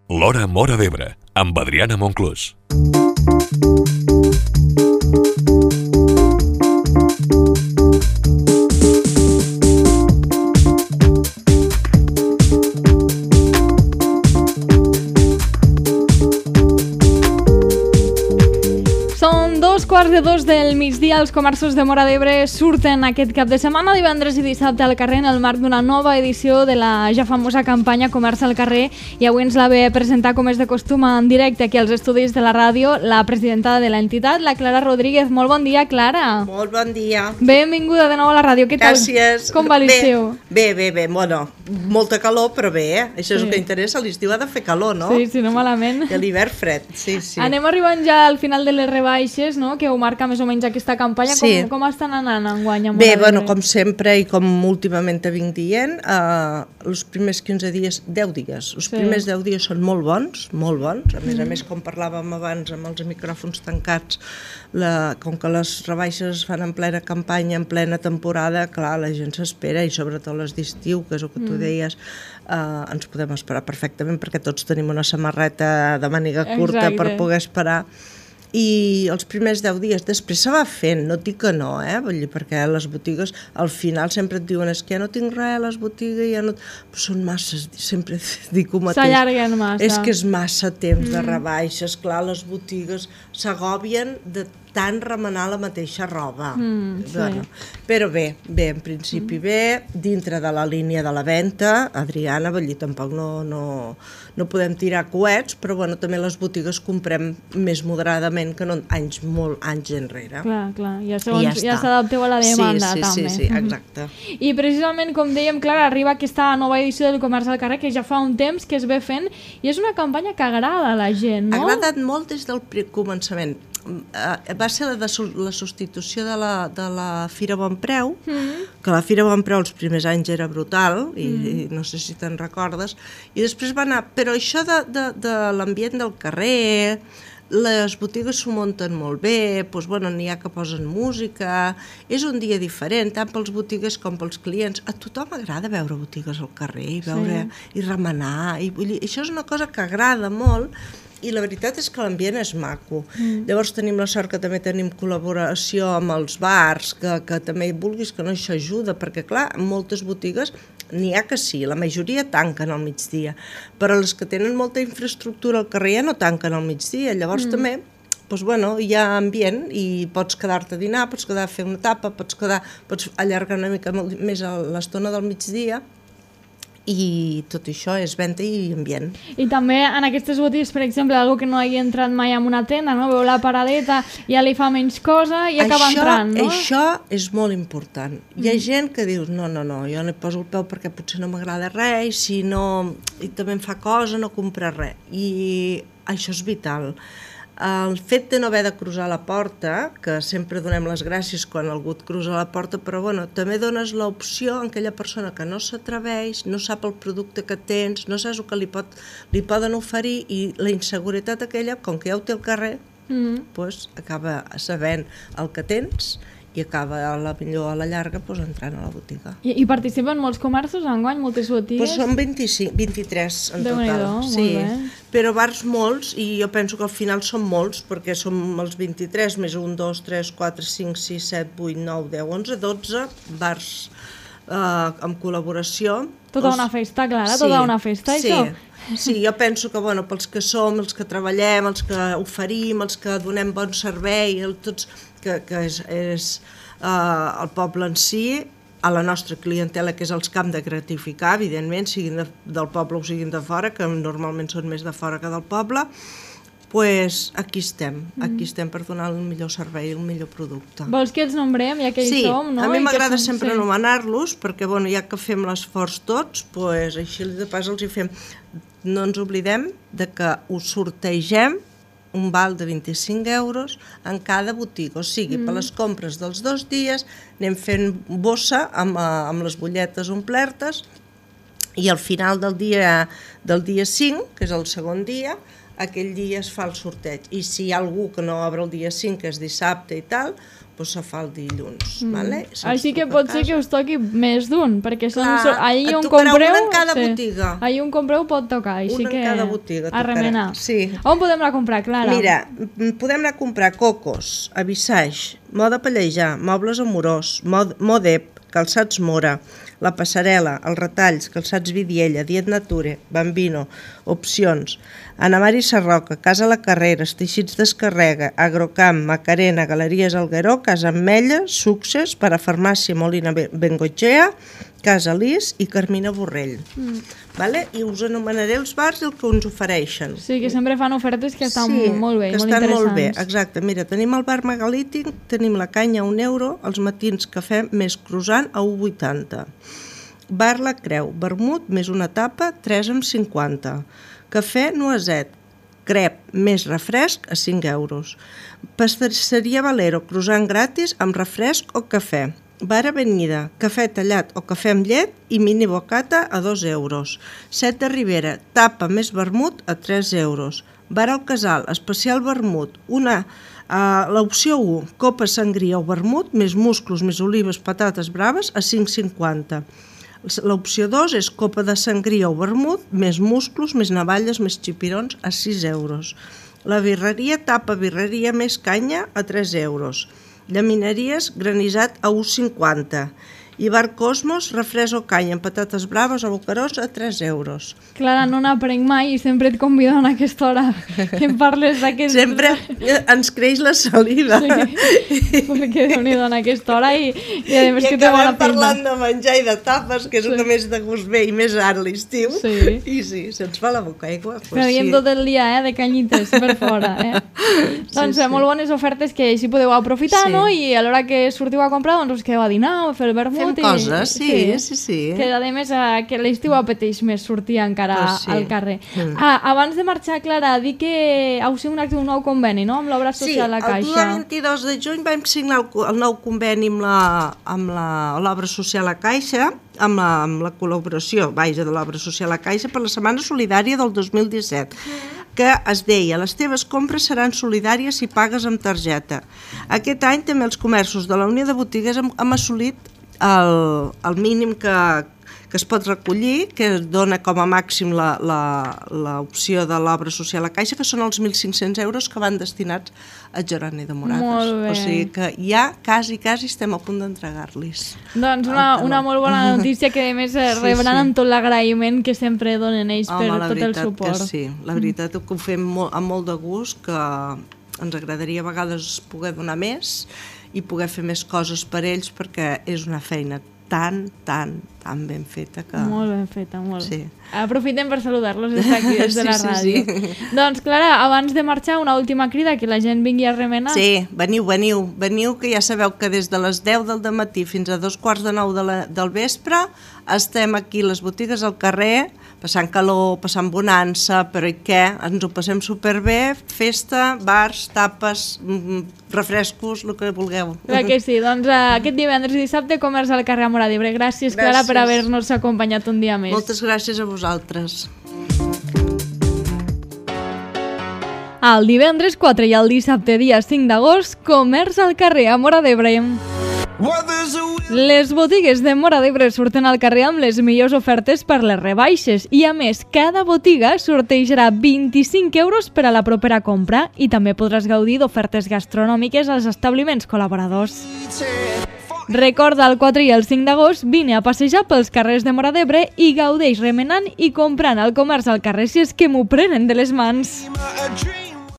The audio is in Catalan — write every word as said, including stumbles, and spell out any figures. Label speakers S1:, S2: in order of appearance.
S1: L'Hora Móra d'Ebre, amb Adriana Monclús.
S2: Quarts de dos del migdia, els comerços de Móra d'Ebre surten aquest cap de setmana, divendres i dissabte al carrer en el marc d'una nova edició de la ja famosa campanya Comerç al carrer, i avui ens la ve a presentar, com és de costum, en directe aquí als estudis de la ràdio, la presidenta de l'entitat, la Clara Rodríguez. Molt bon dia, Clara.
S3: Molt bon dia.
S2: Benvinguda de nou a la ràdio. Què tal?
S3: Gràcies.
S2: Com va l'estiu?
S3: Bé, bé, bé, bueno, molta calor, però bé, eh? Això és sí. El que interessa, l'estiu ha de fer calor, no?
S2: Sí, sí, no malament.
S3: I l'hivern fred, sí, sí.
S2: Anem arribant ja al final de les rebaixes, no?, que ho marca més o menys aquesta campanya.
S3: Sí.
S2: Com, com estan anant enguany a Móra
S3: Bé,
S2: d'Ebre?
S3: bueno, com sempre i com últimament te vinc dient, eh, els primers quinze dies, deu dies, els sí. primers deu dies són molt bons, molt bons, a més mm. a més, com parlàvem abans amb els micròfons tancats, la, com que les rebaixes es fan en plena campanya, en plena temporada, clar, la gent s'espera, i sobretot les d'estiu, que és el que tu mm. deies, eh, ens podem esperar perfectament, perquè tots tenim una samarreta de màniga curta. Exacte. Per poder esperar. I els primers deu dies, després se va fent, no et dic que no, eh? Vull dir, perquè les botigues al final sempre et diuen és que ja no tinc res a les botigues, ja no... Però són massa, sempre dic el mateix.
S2: S'allarguen massa.
S3: És que és massa temps mm. de rebaixes, clar, les botigues s'agòbien de tant remenar la mateixa roba. Mm, sí. Bueno, però bé, bé, en principi mm. bé, dintre de la línia de la venda, Adriana, vull dir, tampoc no, no, no podem tirar coets, però bueno, també les botigues comprem més moderadament que no anys molt anys enrere.
S2: Clar, clar, ja, segons, ja s'adapteu a la demanda,
S3: sí, sí,
S2: també.
S3: Sí, sí, exacte.
S2: I precisament, com dèiem, Clara, arriba aquesta nova edició del Comerç al carrer, que ja fa un temps que es ve fent, i és una campanya que agrada a la gent, no?
S3: Ha agradat molt des del començament. Va ser la, de, la substitució de la, de la Fira Bon Preu, mm. que la Fira Bon Preu els primers anys era brutal, i, mm. i no sé si te'n recordes, i després va anar, però això de, de, de l'ambient del carrer, les botigues s'ho munten molt bé, doncs, bueno, n'hi ha que posen música, és un dia diferent, tant pels botigues com pels clients. A tothom agrada veure botigues al carrer i, veure, sí. i remenar, i vull dir, això és una cosa que agrada molt, i la veritat és que l'ambient és maco. Mm. Llavors tenim la sort que també tenim col·laboració amb els bars, que, que també vulguis que no això ajuda, perquè clar, moltes botigues n'hi ha que sí, la majoria tanquen al migdia, però les que tenen molta infraestructura al carrer ja no tanquen al migdia, llavors mm. també doncs, bueno, hi ha ambient i pots quedar-te a dinar, pots quedar a fer una tapa, pots, quedar, pots allargar una mica més l'estona del migdia, i tot això és venda i ambient.
S2: I també en aquestes botigues, per exemple, algú que no hagi entrat mai en una tenda, no? Veu la paradeta, ja li fa menys cosa i acaba
S3: això,
S2: entrant, no?
S3: Això és molt important. Mm. Hi ha gent que diu, no, no, no, jo no hi poso el peu perquè potser no m'agrada res, i si no, i també em fa cosa, no comprar res. I això és vital. El fet de no haver de cruzar la porta, que sempre donem les gràcies quan algú et cruza la porta, però bueno, també dones l'opció a aquella persona que no s'atreveix, no sap el producte que tens, no saps el que li, pot, li poden oferir, i la inseguretat aquella, com que ja ho té al carrer, mm. doncs acaba sabent el que tens i acaba a la millor a la llarga doncs, entrant a la botiga.
S2: I, i participen molts comerços enguany, moltes botigues?
S3: Doncs són vint-i-cinc, vint-i-tres en total.
S2: Déu-n'hi-do,
S3: sí.
S2: molt bé.
S3: Però bars molts, i jo penso que al final són molts, perquè som els vint-i-tres més un, dos, tres, quatre, cinc, sis, set, vuit, nou, deu, onze, dotze bars eh, amb col·laboració.
S2: Tota els... una festa, Clara, sí, tota una festa,
S3: sí.
S2: això?
S3: Sí, jo penso que bueno, pels que som, els que treballem, els que oferim, els que donem bon servei, el, tots, que, que és, és uh, el poble en si, a la nostra clientela, que és els que hem de gratificar, evidentment, siguin de, del poble o siguin de fora, que normalment són més de fora que del poble, pues aquí estem, aquí estem per donar el millor servei, el millor producte.
S2: Vols que els nombrem, ja que hi
S3: sí,
S2: som, no?
S3: Sí, a mi m'agrada
S2: som...
S3: sempre
S2: sí.
S3: anomenar-los, perquè bueno, ja que fem l'esforç tots, pues, així de pas els hi fem. No ens oblidem de que us sortegem un val de vint-i-cinc euros en cada botiga, o sigui, mm. per les compres dels dos dies anem fent bossa amb, amb les butlletes omplertes, i al final del dia, del dia cinc, que és el segon dia, aquell dia es fa el sorteig, i si hi ha algú que no obre el dia cinc, que és dissabte i tal, doncs se fa el dilluns. Mm. Vale?
S2: Així que pot ser que us toqui més d'un, perquè són,
S3: Clar,
S2: allí on
S3: tocarà
S2: compreu...
S3: un en cada
S2: sí,
S3: botiga.
S2: Allí on compreu pot tocar, així
S3: Un en
S2: que
S3: cada botiga
S2: a remenar.
S3: Sí.
S2: On podem anar a comprar, Clara?
S3: Mira, podem anar a comprar cocos, avissaix, moda pallejar, mobles amorós, mod, modep, calçats Mora, la passarel·la, els retalls, calçats Vidiella, Diet Nature, Bambino, Opcions, Ana Mari Sarroca, Casa La Carrera, Teixits d'Escarrega, Agrocamp, Macarena, Galeries Algueró, Casa Ametlla, Success, Parafarmàcia Molina Bengochea, Casa Lis i Carmina Borrell. Mm. Vale? I us anomenaré els bars i el que ens ofereixen.
S2: Sí, que sempre fan ofertes que estan
S3: sí,
S2: molt bé,
S3: que
S2: molt
S3: estan
S2: interessants.
S3: molt bé, exacte. Mira, tenim el bar Megalític, tenim la canya a un euro, els matins cafè més croissant a un vuitanta. Bar La Creu, vermut més una tapa, tres amb cinquanta. Cafè Noiset, crep més refresc a cinc euros. Pastisseria Valero, croissant gratis amb refresc o cafè. Bar Avenida, cafè tallat o cafè amb llet i mini bocata a dos euros. Set de Ribera, tapa més vermut a tres euros. Bar El Casal, especial vermut, una, uh, l'opció u, copa sangria o vermut, més musclos, més olives, patates braves a cinc cinquanta. L'opció dos és copa de sangria o vermut, més musclos, més navalles, més xipirons a sis euros. La birreria, tapa birreria més canya a tres euros. Llaminaries, granissat a un cinquanta. I Bar Cosmos, refresc o canya amb patates braves o bocarós a tres euros.
S2: Clara, no n'aprenc mai i sempre et convido a aquesta hora que em parles d'aquest...
S3: Sempre ens creix la saliva.
S2: Sí, perquè Déu-n'hi-do en aquesta hora i, i a més
S3: I
S2: que té bona
S3: acabem parlant
S2: pinta.
S3: de menjar i de tapes, que és sí. el que més de gust ve i més ara a l'estiu.
S2: Sí.
S3: I sí, se'ns fa la boca aigua. Pues
S2: Creiem
S3: sí.
S2: tot el dia, eh, de canyites per fora, eh?
S3: Sí,
S2: doncs
S3: sí.
S2: molt bones ofertes que així podeu aprofitar,
S3: Sí.
S2: no? I a l'hora que sortiu a comprar, doncs us quedeu a dinar o a fer el vermut.
S3: Fem
S2: i...
S3: coses, sí, sí, sí.
S2: Que a més eh, que l'estiu apeteix més sortir encara
S3: Pues sí.
S2: al carrer.
S3: Mm.
S2: Ah, abans de marxar, Clara, dir que heu signat un nou conveni, no?, amb l'obra social La Caixa.
S3: Sí, el dia vint-i-dos de juny vam signar el, el nou conveni amb la- amb la- l'obra social La Caixa, amb la, amb la col·laboració, vaja, de l'obra social La Caixa per la Setmana Solidària del dos mil disset, que es deia: les teves compres seran solidàries si pagues amb targeta. Aquest any també els comerços de la Unió de Botigues hem, hem assolit el, el mínim que, que es pot recollir, que dona com a màxim l'opció de l'obra social a Caixa, que són els mil cinc-cents euros que van destinats a Geroni de Moragas.
S2: Molt bé.
S3: O sigui que ja quasi, quasi estem a punt d'entregar-los.
S2: Doncs una, una molt bona notícia que a més sí, rebran sí. amb tot l'agraïment que sempre donen ells
S3: Home,
S2: per tot el suport.
S3: Que sí, la veritat que ho fem molt, amb molt de gust, que ens agradaria a vegades poder donar més i poder fer més coses per ells, perquè és una feina tan, tan, tan ben feta que...
S2: Molt ben feta, molt.
S3: Sí.
S2: Aprofitem per saludar-los des d'aquí, des de
S3: sí,
S2: la
S3: sí,
S2: ràdio.
S3: sí.
S2: Doncs, Clara, abans de marxar, una última crida, que la gent vingui a remenar.
S3: Sí, veniu, veniu, veniu, que ja sabeu que des de les deu del dematí fins a dos quarts de nou de la, del vespre estem aquí a les botigues al carrer, passant calor, passant bonança, però i què? Ens ho passem superbé, festa, bars, tapes, refrescos, el que vulgueu.
S2: Clar que sí, doncs uh, aquest divendres i dissabte comerç al carrer Móra d'Ebre. Gràcies, gràcies, Clara, per haver-nos acompanyat un dia més.
S3: Moltes gràcies a vosaltres.
S2: El divendres quatre i el dissabte dia cinc d'agost, comerç al carrer a Móra d'Ebre. Les botigues de Móra d'Ebre surten al carrer amb les millors ofertes per les rebaixes i, a més, cada botiga sortejarà vint-i-cinc euros per a la propera compra i també podràs gaudir d'ofertes gastronòmiques als establiments col·laboradors. Recorda, el quatre i el cinc d'agost vine a passejar pels carrers de Móra d'Ebre i gaudeix remenant i comprant al comerç al carrer si és que m'ho prenen de les mans.